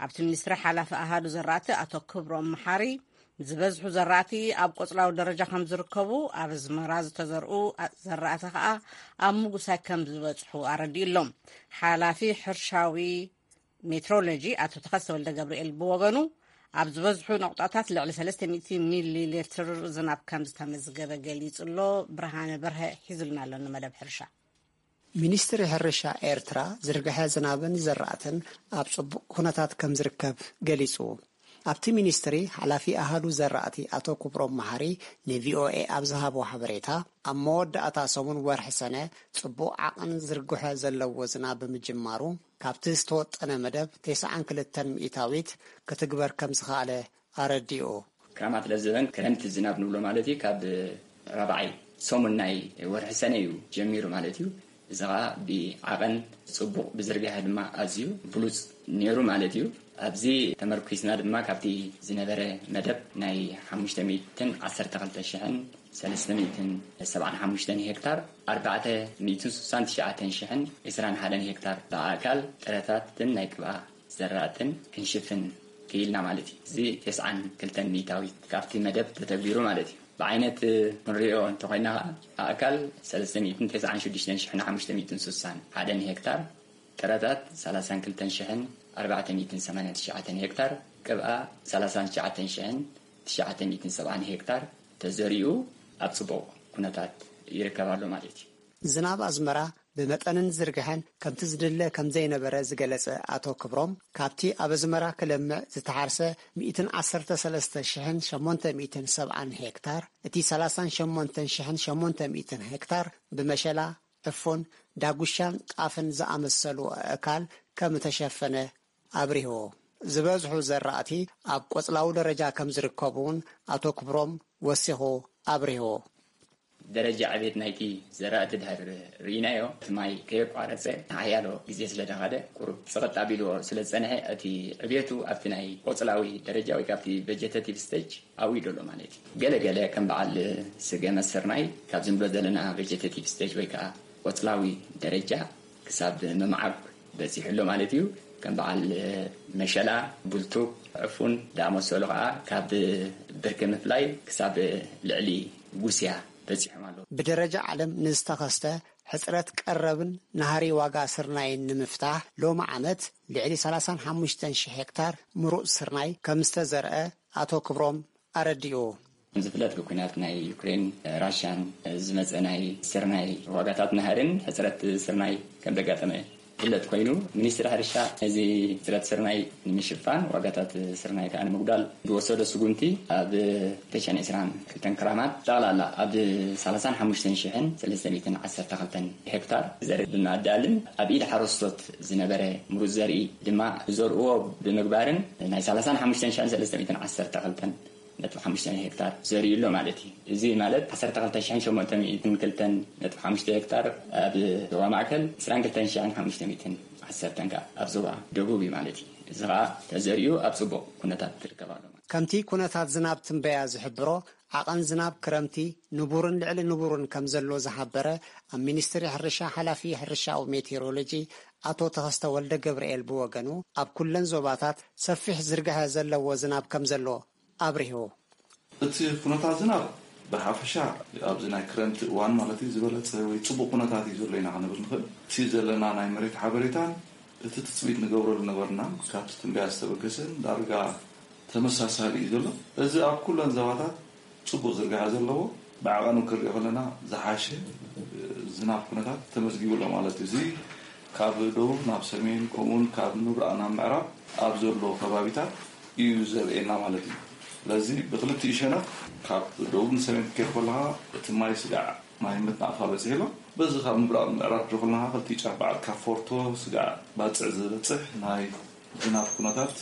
ኣብቲ ሚኒስትሪ ሓላፊ ኣሃዱ ዘራእቲ ኣቶ ክብሮም መሓሪ፣ ዝበዝሑ ዘራእቲ ኣብ ቆጽላዊ ደረጃ ከም ዝርከቡ፣ ኣብ ኣዝመራ ዝተዘርኡ ዘራእቲ ከኣ ኣብ ምጉሳይ ከም ዝበጽሑ ኣረዲኡ ኣሎ። ሓላፊ ሕርሻዊ ሜትሮሎጂ ኣቶ ተኸስተ ወልደ ገብርኤል ብወገኑ፣ ኣብ ዝበዝሑ ነቑጣታት ልዕሊ ሰለስተ ሚእቲ ሚሊ ሊትር ዝናብ ከም ዝተመዝገበ ገሊጹ ኣሎ። ብርሃነ በርሀ ሒዙልና ኣሎ ንመደብ ሕርሻ። ሚኒስትሪ ሕርሻ ኤርትራ ዝርግሐ ዝናብን ዘራእትን ኣብ ጽቡቕ ኩነታት ከም ዝርከብ ገሊጹ። ኣብቲ ሚኒስትሪ ሓላፊ ኣሃዱ ዘራእቲ ኣቶ ክብሮም መሓሪ ንቪኦኤ ኣብ ዝሃቦ ሓበሬታ፣ ኣብ መወዳእታ ሰሙን ወርሒ ሰነ ጽቡቕ ዓቐን ዝርግሐ ዘለዎ ዝናብ ብምጅማሩ፣ ካብቲ ዝተወጠነ መደብ ተስዓን ክልተን ሚእታዊት ክትግበር ከም ዝኸኣለ ኣረዲኡ። ክራማት ለዘበን ክረምቲ ዝናብ ንብሎ ማለት እዩ። ካብ ራብዓይ ሰሙን ናይ ወርሒ ሰነ እዩ ጀሚሩ ማለት እዩ። እዚ ኸዓ ብዓቐን ጽቡቕ፣ ብዝርግሐ ድማ ኣዝዩ ብሉጽ ነይሩ ማለት እዩ። ኣብዚ ተመርኲስና ድማ ካብቲ ዝነበረ መደብ ናይ ሓሙሽተ ሚእትን ዓሰርተ ክልተ ሽሕን ሰለስተ ሚእትን ሰብዓን ሓሙሽተን ሄክታር፣ ኣርባዕተ ሚእትን ስሳን ትሽዓተን ሽሕን ዕስራን ሓደን ሄክታር ብኣእካል ጥረታትን ናይ ቅብኣ ዘራእትን ክንሽፍን ክኢልና ማለት እዩ። እዚ ተስዓን ክልተን ሚእታዊት ካብቲ መደብ ተተግቢሩ ማለት እዩ። ብዓይነት ክንሪኦ እንተኾይና ኸዓ፣ ኣእካል ሰለስተ ሚእትን ተስዓን ሽዱሽተን ሽሕን ሓሙሽተ ሚእትን ስሳን ሓደን ሄክታር፣ ጥረታት ሰላሳን ክልተን ሽሕን ኣርባዕተ ሚእትን ሰማንያን ትሽዓተን ሄክታር፣ ቅብኣ ሰላሳን ትሽዓተን ሽሕን ትሽዓተ ሚእትን ሰብዓን ሄክታር ተዘሪኡ ኣብ ጽቡቕ ኩነታት ይርከብ ኣሎ ማለት እዩ። ዝናብ ኣዝመራ ብመጠንን ዝርግሐን ከምቲ ዝድለ ከም ዘይነበረ ዝገለጸ ኣቶ ክብሮም፣ ካብቲ ኣብ ኣዝመራ ክለምዕ ዝተሓርሰ ሚእትን ዓሰርተ ሰለስተ ሽሕን ሸሞንተ ሚእትን ሰብዓን ሄክታር፣ እቲ ሰላሳን ሸሞንተን ሽሕን ሸሞንተ ሚእትን ሄክታር ብመሸላ፣ ዕፉን፣ ዳጉሻን ጣፍን ዝኣመሰሉ ኣእካል ከም እተሸፈነ ኣብሪሁ። ዝበዝሑ ዘራእቲ ኣብ ቆጽላዊ ደረጃ ከም ዝርከቡ እውን ኣቶ ክብሮም ወሲኹ ኣብሪሁ። ደረጃ ዕቤት ናይቲ ዘራእቲ ድሕር ርኢናዮ፣ እቲ ማይ ከየቋረጸ ንሓያሎ ግዜ ስለ ደኸደ፣ ቁሩብ ጽቕጥ ኣቢልዎ ስለ ዝጸንሐ፣ እቲ ዕቤቱ ኣብቲ ናይ ቆጽላዊ ደረጃ ወይ ካብቲ ቨጀተቲቭ ስቴጅ ኣብኡ እዩ ዘሎ ማለት እዩ። ገለ ገለ ከም በዓል ስገመ ስርናይ፣ ካብዚ ንብሎ ዘለና ቨጀተቲቭ ስቴጅ ወይ ከዓ ቆጽላዊ ደረጃ ክሳብ ምምዓግ በጺሑ ኣሎ ማለት እዩ። ከም በዓል መሸላ፣ ቡልቱብ፣ ዕፉን ዝኣመሰሉ ከዓ ካብ ብርኪ ምፍላይ ክሳብ ልዕሊ ጉስያ በጺሖም ኣለዉ። ብደረጃ ዓለም ንዝተኸስተ ሕጽረት ቀረብን ናህሪ ዋጋ ስርናይን ንምፍታሕ፣ ሎሚ ዓመት ልዕሊ ሰላሳን ሓሙሽተን ሽሕ ሄክታር ምሩጽ ስርናይ ከም ዝተዘርአ ኣቶ ክብሮም ኣረዲኡ። ዝፍለጥ ብኲናት ናይ ዩክሬን ራሽያን ዝመጸ ናይ ስርናይ ዋጋታት ናህርን ሕጽረት ስርናይ ከም ዘጋጠመ ዝፍለጥ ኮይኑ፣ ሚኒስትሪ ሕርሻ ነዚ ሕፅረት ስርናይ ንምሽፋን፣ ዋጋታት ስርናይ ከዓ ንምጉዳል ዝወሰዶ ስጉምቲ፣ ኣብ ክልተ ሽሕን ዕስራን ክልተን ክራማት ጠቕላላ ኣብ ሰላሳን ሓሙሽተን ሽሕን ሰለስተ ሚእትን ዓሰርተ ክልተን ሄክታር ዘርኢ ብምኣዳልን፣ ኣብ ኢድ ሓረስቶት ዝነበረ ምሩፅ ዘርኢ ድማ ዘርእዎ ብምግባርን፣ ናይ ሰላሳን ሓሙሽተን ሽሕን ሰለስተ ሚእትን ዓሰርተ ክልተን ነጥቢ ሓሙሽተ ሄክታር ዘሪኡ ኣሎ ማለት እዩ። እዚ ማለት ዓሰርተ ክልተ ሽሕን ሸሞንተ ሚእትን ክልተን ነጥቢ ሓሙሽተ ሄክታር ኣብ ዞባ ማእከል፣ ዕስራን ክልተን ሽሕን ሓሙሽተ ሚእትን ዓሰርተን ከኣ ኣብ ዞባ ደቡብ እዩ ማለት እዩ። እዚ ከኣ ተዘሪኡ ኣብ ጽቡቕ ኩነታት ትርከብ ኣሎ። ከምቲ ኩነታት ዝናብ ትንበያ ዝሕብሮ፣ ዓቐን ዝናብ ክረምቲ ንቡርን ልዕሊ ንቡርን ከም ዘሎ ዝሓበረ ኣብ ሚኒስትሪ ሕርሻ ሓላፊ ሕርሻዊ ሜቴሮሎጂ ኣቶ ተኸስተ ወልደ ገብርኤል ብወገኑ፣ ኣብ ኩለን ዞባታት ሰፊሕ ዝርግሐ ዘለዎ ዝናብ ከም ዘሎ ኣብሪሁ። እቲ ኩነታት ዝናብ ብሓፈሻ ኣብዚ ናይ ክረምቲ እዋን ማለት እዩ ዝበለጸ ወይ ጽቡቕ ኩነታት እዩ ዘሎ ኢና ክንብል ንኽእል። እቲ ዘለና ናይ መሬት ሓበሬታን እቲ ትጽቢት ንገብረሉ ነበርና ካብቲ ትንበያ ዝተበገሰን ዳርጋ ተመሳሳሊ እዩ ዘሎ። እዚ ኣብ ኩለን ዞባታት ጽቡቕ ዝርግሐ ዘለዎ፣ ብዓቐኑ ክንሪኦ ከለና ዝሓሸ ዝናብ ኩነታት ተመዝጊቡ ኣሎ ማለት እዩ። እዚ ካብ ደቡብ ናብ ሰሜን፣ ከምኡውን ካብ ምብራቕ ናብ ምዕራብ ኣብ ዘሎ ከባቢታት እዩ ዘርእየና ማለት እዩ። ስለዚ ብክልቲኡ ሸነኽ ካብ ደቡብ ንሰሜን ክትከይድ ከለኻ እቲ ማይ ስጋዕ ማይ ምትናቕፋ በፂሑ ኣሎ። በዚ ካብ ምብራቕ ምዕራብ ድሮ ከለኻ ክልቲኡ ጫፍ በዓል ካብ ፎርቶ ስጋዕ ባፅዕ ዝበፅሕ ናይ ዝናብ ኩነታት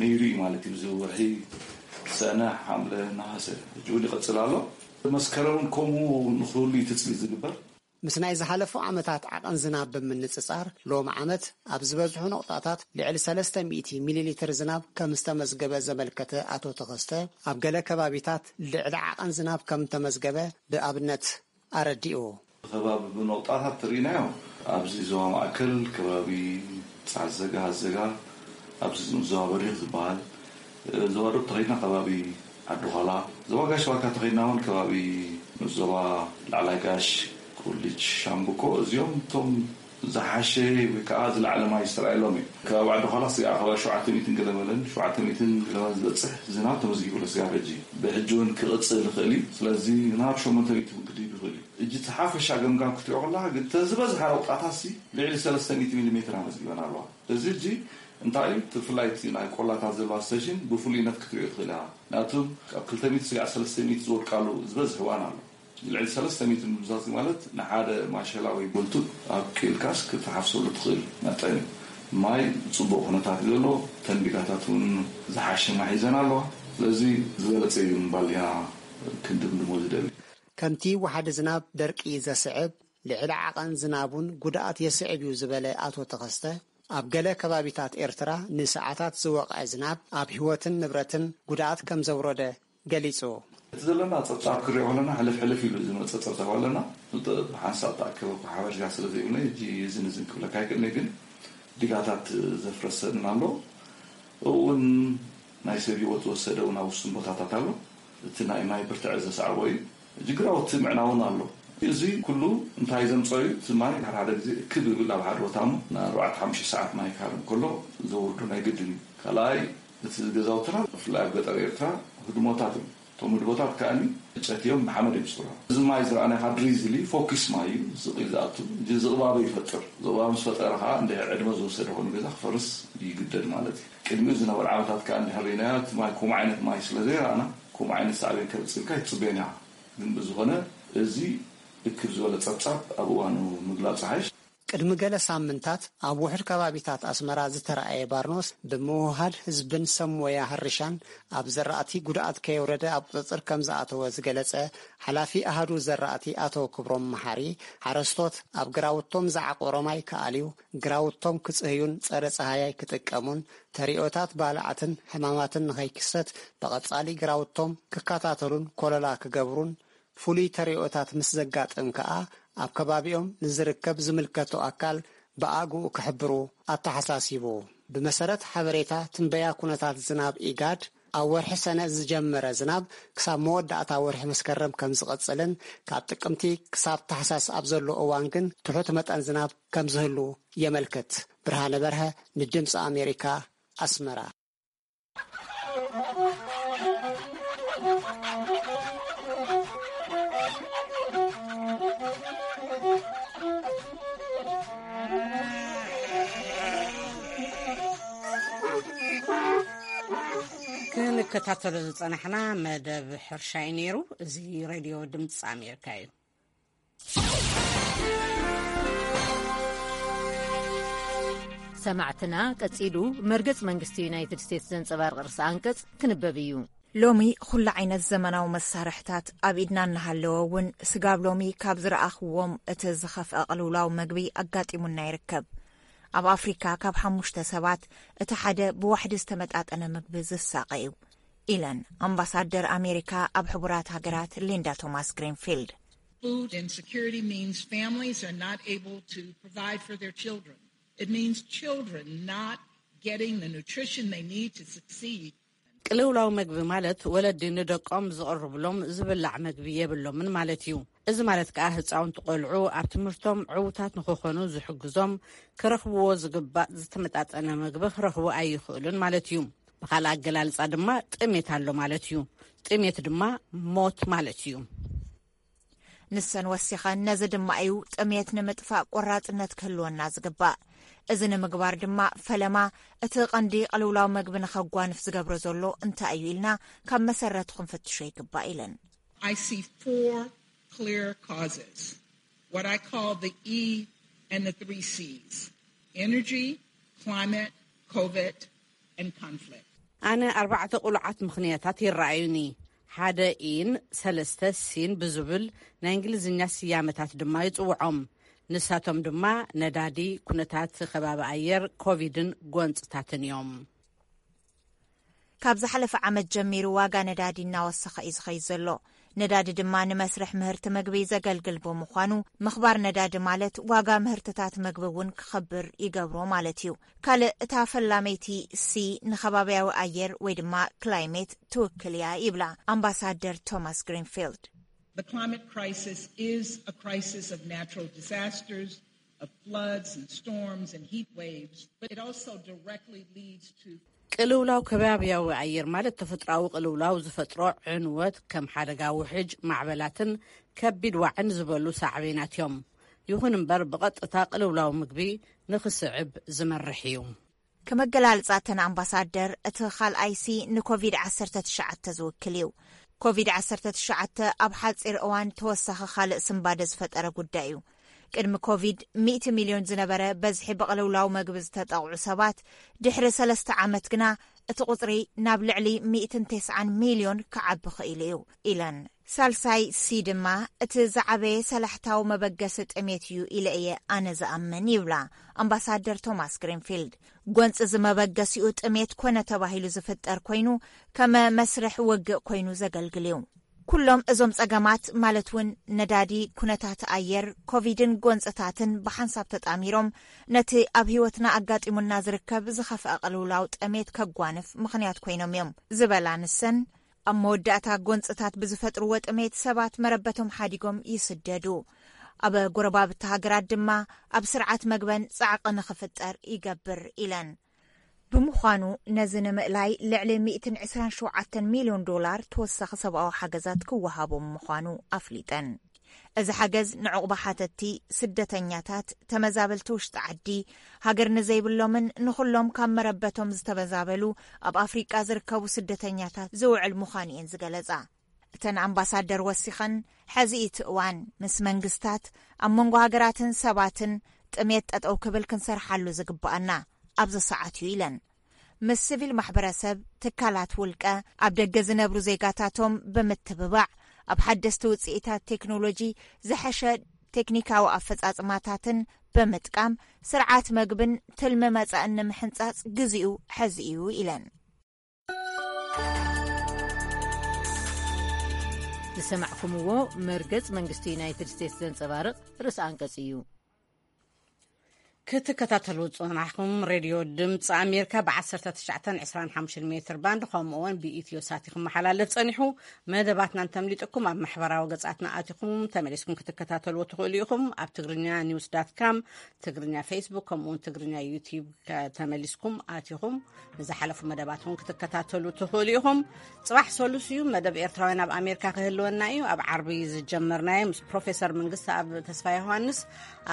ነይሩ እዩ ማለት እዩ። እዚ ወርሒ ሰነ፣ ሓምለ፣ ነሃሰ፣ ሕጂ እውን ይቐጽል ኣሎ። መስከረምን ከምኡ ንኽህሉ እዩ ትጽቢት ዝግበር። ምስ ናይ ዝሓለፉ ዓመታት ዓቐን ዝናብ ብምንጽጻር፣ ሎም ዓመት ኣብ ዝበዝሑ ነቑጣታት ልዕሊ ሰለስተ ሚእቲ ሚሊ ሊትር ዝናብ ከም ዝተመዝገበ ዘመልከተ ኣቶ ተኸስተ፣ ኣብ ገለ ከባቢታት ልዕሊ ዓቐን ዝናብ ከም ተመዝገበ ብኣብነት ኣረዲኡ። ከባቢ ብነቑጣታት ትርኢናዮ፣ ኣብዚ ዞባ ማእከል ከባቢ ጻዕዘጋ፣ ኣዘጋ፣ ኣብዚ ዞባ በሪኽ ዝበሃል፣ ዞባ ዶብ ተኸይድና ከባቢ ዓዲ ዃላ፣ ዞባ ጋሽ ባርካ ተኸይድና እውን ከባቢ ዞባ ላዕላይ ጋሽ፣ ኩልጅ፣ ሻምብቆ፣ እዚኦም እቶም ዝሓሸ ወይ ከዓ ዝለዓለ ማይ ዝተረኣየሎም እዩ። ከባቢ ዓዲ ዃላ ስጋዕ ከባቢ ሸውዓተ ሚእትን ገለ መለን፣ ሸውዓተ ሚእትን ገለ መለን ዝበፅሕ ዝናብ ተመዝጊቡ ኣሎ ስጋዕ ሕጂ። ብሕጂ እውን ክቕፅል ይኽእል እዩ። ስለዚ ናብ ሸሞንተ ሚእቲ እውን ክድይብ ይኽእል እዩ። እጂ እቲ ሓፈሻ ገምጋም ክትሪኦ ከለኻ ግን፣ እተን ዝበዝሓ ነቑጣታትሲ ልዕሊ ሰለስተ ሚእቲ ሚሊ ሜትር ኣመዝጊበን ኣለዋ። እዚ ሕጂ እንታይ እዩ? እቲ ብፍላይ እቲ ናይ ቆላታት ዘለዋ ስቴሽን ብፍሉይነት ክትሪኦ ትኽእል ኢኻ። ምክንያቱ ካብ ክልተ ሚእቲ ስጋዕ ሰለስተ ሚእቲ ዝወድቃሉ ዝበዝሕ እዋን ኣሎ። ልዕሊ ሰለስተ ሚእቲ ምምዛዝ ማለት ንሓደ ማሸላ ወይ ቦልቱብ ኣብቂልካስ ክትሓፍሰሉ ትኽእል መጠን እዩ። ማይ ጽቡቕ ኩነታት እዩ ዘሎ። ተንቢጋታት እውን ዝሓሸ ማይ ሒዘን ኣለዋ። ስለዚ ዝበለጸ እዩ ምባል ኢና ክንድምድሞ ዝደሊ። ከምቲ ወሓዲ ዝናብ ደርቂ ዘስዕብ፣ ልዕሊ ዓቐን ዝናብ እውን ጉድኣት የስዕብ እዩ ዝበለ ኣቶ ተኸስተ፣ ኣብ ገለ ከባቢታት ኤርትራ ንሰዓታት ዝወቕዐ ዝናብ ኣብ ህይወትን ንብረትን ጉድኣት ከም ዘውረደ ገሊጹ። እቲ ዘለና ጸብጻብ ክሪኦ ከለና ሕልፍ ሕልፍ ኢሉ ዝመጸ ጸብጻብ ኣለና። ብሓንሳብ ተኣከበ እኮ ሓበሬታ ስለ ዘይብለይ፣ ሕጂ እዝን እዝን ክብለካ ኣይክእልን፣ ግን ዲጋታት ዘፍረሰን ኣሎ። እውን ናይ ሰብ ህይወት ዝወሰደ እውን ኣብ ውሱን ቦታታት ኣሎ። እቲ ናይ ማይ ብርትዐ ዘስዓቦ እዩ። ሕጂ ግራውቲ ምዕናውን ኣሎ። እዚ ኩሉ እንታይ ዘምጸኦ እዩ? እቲ ማይ ሓደ ሓደ ግዜ እክብ ይብል ኣብ ሓደ ቦታ እሞ፣ ንኣርባዕተ ሓሙሽተ ሰዓት ማይ ክሃርም ከሎ ዘውርዶ ናይ ግድን እዩ። ካልኣይ፣ እቲ ገዛውትና ብፍላይ ኣብ ገጠር ኤርትራ ህድሞታት እዮም። እቶም ህድሞታት ከኣ ዕንጨት እዮም፣ ብሓመድ እዮም ዝስርሑ። እዚ ማይ ዝረኣናዮ ከዓ ድሪዝሊ ፎኪስ ማይ እዩ፣ ዝቕ ኢሉ ዝኣቱ፣ እዚ ዝቕባበ ይፈጥር። ዝቕባበ ምስ ፈጠረ ከዓ እንድሕር ዕድመ ዝወሰደ ኮይኑ ገዛ ክፈርስ ይግደድ ማለት እዩ። ቅድሚኡ ዝነበረ ዓመታት ከኣ እንድሕር ርኢናዮ፣ እቲ ማይ ከምኡ ዓይነት ማይ ስለ ዘይረኣና፣ ከምኡ ዓይነት ሳዕቤን ከምጽእ ኢልካ ኣይትጽበዮን ኢኻ። ግን ብዝኾነ፣ እዚ እክብ ዝበለ ጸብጻብ ኣብ እዋኑ ምግላጹ ሓይሽ። ቅድሚ ገለ ሳምንታት ኣብ ውሑድ ከባቢታት ኣስመራ ዝተረኣየ ባርኖስ፣ ብምውህሃድ ህዝብን ሰብ ሞያ ሕርሻን ኣብ ዘራእቲ ጉድኣት ከየውረደ ኣብ ቁጽጽር ከም ዝኣተወ ዝገለጸ ሓላፊ ኣሃዱ ዘራእቲ ኣቶ ክብሮም መሓሪ፣ ሓረስቶት ኣብ ግራውቶም ዝዓቆሮ ማይ ክኣልዩ፣ ግራውቶም ክጽህዩን ጸረ ጸሃያይ ክጥቀሙን፣ ተሪኦታት ባልዓትን ሕማማትን ንኸይክሰት ብቐጻሊ ግራውቶም ክከታተሉን ኮለላ ክገብሩን፣ ፍሉይ ተሪኦታት ምስ ዘጋጥም ከኣ ኣብ ከባቢኦም ንዝርከብ ዝምልከቶ ኣካል ብኣግኡ ክሕብሩ ኣተሓሳሲቡ። ብመሰረት ሓበሬታ ትንበያ ኩነታት ዝናብ ኢጋድ፣ ኣብ ወርሒ ሰነ ዝጀመረ ዝናብ ክሳብ መወዳእታ ወርሒ መስከረም ከም ዝቐጽልን፣ ካብ ጥቅምቲ ክሳብ ታሕሳስ ኣብ ዘሎ እዋን ግን ትሑት መጠን ዝናብ ከም ዝህሉ የመልክት። ብርሃነ በርሀ፣ ንድምፂ ኣሜሪካ፣ ኣስመራ። ከታተሎ ዝጸናሕና መደብ ሕርሻ እዩ ነይሩ። እዚ ሬድዮ ድምፂ ኣሜሪካ እዩ። ሰማዕትና፣ ቀጺሉ መርገጽ መንግስቲ ዩናይትድ ስቴትስ ዘንጸባርቕ ርእሰ ኣንቀጽ ክንበብ እዩ። ሎሚ ኩሉ ዓይነት ዘመናዊ መሳርሕታት ኣብ ኢድና እናሃለወ እውን፣ ስጋብ ሎሚ ካብ ዝረኣኽዎም እቲ ዝኸፍአ ቅልውላው መግቢ ኣጋጢሙና ይርከብ። ኣብ ኣፍሪካ ካብ ሓሙሽተ ሰባት እቲ ሓደ ብዋሕዲ ዝተመጣጠነ ምግቢ ዝሳቐ እዩ፣ ኢለን ኣምባሳደር ኣሜሪካ ኣብ ሕቡራት ሃገራት ሊንዳ ቶማስ ግሪንፊልድ። Food insecurity means families are not able to provide for their children. It means children not getting the nutrition they need to succeed. ቅልውላው መግቢ ማለት ወለዲ ንደቆም ዝቕርብሎም ዝብላዕ መግቢ የብሎምን ማለት እዩ። እዚ ማለት ከኣ ህፃውንቲ ቆልዑ ኣብ ትምህርቶም ዕዉታት ንክኾኑ ዝሕግዞም፣ ክረኽብዎ ዝግባእ ዝተመጣጠነ መግቢ ክረኽቡ ኣይኽእሉን ማለት እዩ። ብኻልእ ኣገላልፃ ድማ ጥሜት ኣሎ ማለት እዩ። ጥሜት ድማ ሞት ማለት እዩ። ንሰን ወሲኸን፣ ነዚ ድማ እዩ ጥሜት ንምጥፋእ ቆራፅነት ክህልወና ዝግባእ። እዚ ንምግባር ድማ ፈለማ እቲ ቀንዲ ቅልውላው መግቢ ንኸጓንፍ ዝገብሮ ዘሎ እንታይ እዩ ኢልና ካብ መሰረቱ ክንፍትሾ ይግባእ፣ ኢለን። I see four clear causes, what I call the E and the three C's: energy, climate, COVID, and conflict. ኣነ ኣርባዕተ ቅሉዓት ምኽንያታት ይረኣዩኒ። ሓደ ኢን ሰለስተ ሲን ብዝብል ናይ እንግሊዝኛ ስያመታት ድማ ይጽውዖም። ንሳቶም ድማ ነዳዲ፣ ኩነታት ከባቢ ኣየር፣ ኮቪድን ጎንጽታትን እዮም። ካብ ዝሓለፈ ዓመት ጀሚሩ ዋጋ ነዳዲ እናወሰኸ እዩ ዝኸይድ ዘሎ። ነዳዲ ድማ ንመስርሕ ምህርቲ ምግቢ ዘገልግል ብምዃኑ፣ ምኽባር ነዳዲ ማለት ዋጋ ምህርትታት ምግቢ እውን ክኸብር ይገብሮ ማለት እዩ። ካልእ፣ እታ ፈላመይቲ ሲ ንኸባብያዊ ኣየር ወይ ድማ ክላይሜት ትውክል እያ ይብላ ኣምባሳደር ቶማስ ግሪንፊልድ። The climate crisis is a crisis of natural disasters, of floods and storms and heat waves, but it also directly leads to ቅልውላው ከባብያዊ ኣየር ማለት ተፈጥሮኣዊ ቅልውላው ዝፈጥሮ ዕንወት ከም ሓደጋ ውሕጅ፣ ማዕበላትን ከቢድ ዋዕን ዝበሉ ሳዕቤናት እዮም። ይኹን እምበር ብቐጥታ ቅልውላው ምግቢ ንኽስዕብ ዝመርሕ እዩ። ከመገላልጻ እተን ኣምባሳደር፣ እቲ ካልኣይ ሲ ንኮቪድ ዓሰርተ ትሽዓተ ዝውክል እዩ። ኮቪድ ዓሰርተ ትሽዓተ ኣብ ሓጺር እዋን ተወሳኺ ካልእ ስንባደ ዝፈጠረ ጉዳይ እዩ። ቅድሚ ኮቪድ ሚእቲ ሚልዮን ዝነበረ በዝሒ ብቕልውላው መግቢ ዝተጠቕዑ ሰባት፣ ድሕሪ ሰለስተ ዓመት ግና እቲ ቁጽሪ ናብ ልዕሊ ሚእትን ተስዓን ሚልዮን ክዓቢ ክኢሉ እዩ፣ ኢለን። ሳልሳይ ሲ ድማ እቲ ዝዓበየ ሰላሕታዊ መበገሲ ጥሜት እዩ ኢለ እየ ኣነ ዝኣምን ይብላ ኣምባሳደር ቶማስ ግሪንፊልድ። ጎንፂ እዚ መበገሲኡ ጥሜት ኮነ ተባሂሉ ዝፍጠር ኮይኑ ከመ መስርሕ ውግእ ኮይኑ ዘገልግል እዩ። ኩሎም እዞም ጸገማት ማለት እውን ነዳዲ፣ ኩነታት ኣየር፣ ኮቪድን ጎንፅታትን ብሓንሳብ ተጣሚሮም ነቲ ኣብ ህይወትና ኣጋጢሙና ዝርከብ ዝኸፍአ ቅልውላው ጥሜት ከጓንፍ ምኽንያት ኮይኖም እዮም ዝበላ ንሰን፣ ኣብ መወዳእታ ጎንፅታት ብዝፈጥርዎ ጥሜት ሰባት መረበቶም ሓዲጎም ይስደዱ። ኣብ ጎረባብቲ ሃገራት ድማ ኣብ ስርዓት መግበን ጻዕቂ ንኽፍጠር ይገብር ኢለን። ብምዃኑ ነዚ ንምእላይ ልዕሊ ሚእትን ዕስራን ሸውዓተን ሚልዮን ዶላር ተወሳኺ ሰብኣዊ ሓገዛት ክወሃቦም ምዃኑ ኣፍሊጠን። እዚ ሓገዝ ንዕቑባ ሓተቲ፣ ስደተኛታት፣ ተመዛበልቲ ውሽጢ ዓዲ፣ ሃገር ንዘይብሎምን ንኹሎም ካብ መረበቶም ዝተመዛበሉ ኣብ ኣፍሪቃ ዝርከቡ ስደተኛታት ዝውዕል ምዃኑ እየን ዝገለጻ። እተን ኣምባሳደር ወሲኸን፣ ሕዚ እቲ እዋን ምስ መንግስታት፣ ኣብ መንጎ ሃገራትን ሰባትን ጥሜት ጠጠው ክብል ክንሰርሓሉ ዝግባኣና ኣብዚ ሰዓት እዩ ኢለን። ምስ ሲቪል ማሕበረሰብ፣ ትካላት ውልቀ፣ ኣብ ደገ ዝነብሩ ዜጋታቶም ብምትብባዕ፣ ኣብ ሓደስቲ ውፅኢታት ቴክኖሎጂ ዝሐሸ ቴክኒካዊ ኣፈፃፅማታትን ብምጥቃም ስርዓት መግብን ትልሚ መፃእን ንምሕንፃፅ ግዚኡ ሕዚ እዩ ኢለን። ዝሰማዕኩምዎ መርገጽ መንግስቲ ዩናይትድ ስቴትስ ዘንጸባርቕ ርእሰ ኣንቀጽ እዩ። ክትከታተሉ ዝጸናሕኩም ሬድዮ ድምፂ ኣሜሪካ ብ ዓሰርተ ትሽዓተን ዕስራን ሓሙሽተን ሜትር ባንድ፣ ከምኡ እውን ብኢትዮ ሳት ክመሓላለፍ ጸኒሑ። መደባትና እንተምሊጥኩም ኣብ ማሕበራዊ ገጻትና ኣቲኹም ተመሊስኩም ክትከታተልዎ ትኽእሉ ኢኹም። ኣብ ትግርኛ ኒውስ ዳት ካም፣ ትግርኛ ፌስቡክ፣ ከምኡ እውን ትግርኛ ዩቲዩብ ተመሊስኩም ኣቲኹም ንዝሓለፉ መደባት እውን ክትከታተሉ ትኽእሉ ኢኹም። ጽባሕ ሰሉስ እዩ፣ መደብ ኤርትራውያን ኣብ ኣሜሪካ ክህልወና እዩ። ኣብ ዓርቢ ዝጀመርናዮ ምስ ፕሮፌሰር መንግስቲ ኣብ ተስፋ ዮሃንስ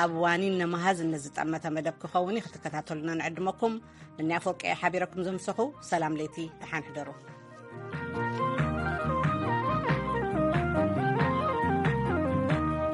ኣብ ዋኒን ነመሃዝ ንዝጠመተ መደብ ክኸውን እዩ። ክትከታተሉና ንዕድመኩም። ንንያ ፎርቀ ሓቢረኩም ዘምሰኹ። ሰላም ለይቲ፣ ደሓን ሕደሩ።